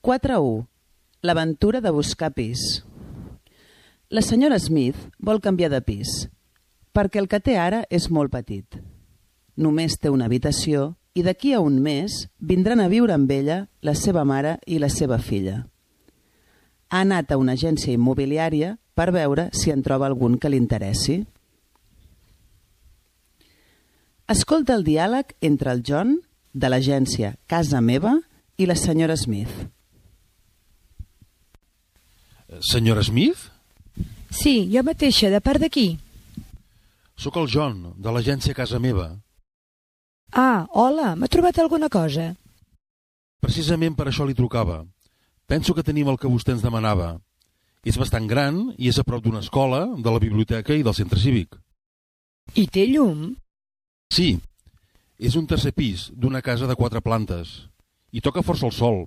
4.1. L'aventura de buscar pis. La senyora Smith vol canviar de pis, perquè el que té ara és molt petit. Només té una habitació i d'aquí a un mes vindran a viure amb ella la seva mare i la seva filla. Ha anat a una agència immobiliària per veure si en troba algun que li interessi. Escolta el diàleg entre el John, de l'agència Casa Meva, i la senyora Smith. Senyora Smith? Sí, jo mateixa, de part d'aquí. Sóc el John, de l'agència Casa Meva. Ah, hola, m'ha trobat alguna cosa? Precisament per això li trucava. Penso que tenim el que vostè ens demanava. És bastant gran i és a prop d'una escola, de la biblioteca i del centre cívic. I té llum? Sí, és un tercer pis d'una casa de 4 plantes. I toca força el sol.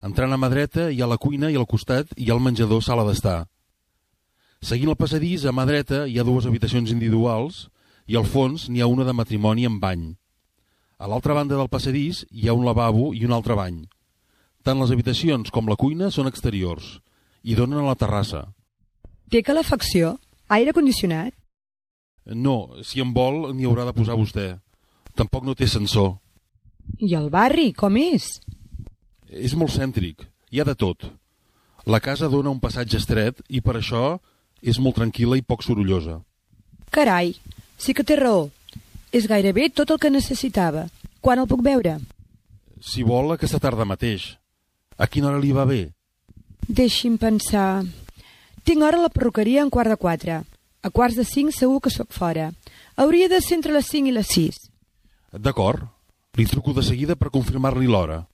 Entrant a mà dreta hi ha la cuina i al costat hi ha el menjador sala d'estar. Seguint el passadís, a mà dreta hi ha 2 habitacions individuals i al fons n'hi ha una de matrimoni amb bany. A l'altra banda del passadís hi ha un lavabo i un altre bany. Tant les habitacions com la cuina són exteriors i donen a la terrassa. Té calefacció? Aire condicionat? No, si en vol n'hi haurà de posar vostè. Tampoc no té ascensor. I el barri, com és? És molt cèntric, hi ha de tot. La casa dona un passatge estret i per això és molt tranquil·la i poc sorollosa. Carai, sí que té raó. És gairebé tot el que necessitava. Quan el puc veure? Si vol, aquesta tarda mateix. A quina hora li va bé? Deixi'm pensar... Tinc hora a la perruqueria a 4:15. A 4:45 segur que sóc fora. Hauria de ser entre les 5 i les 6. D'acord. Li truco de seguida per confirmar-li l'hora.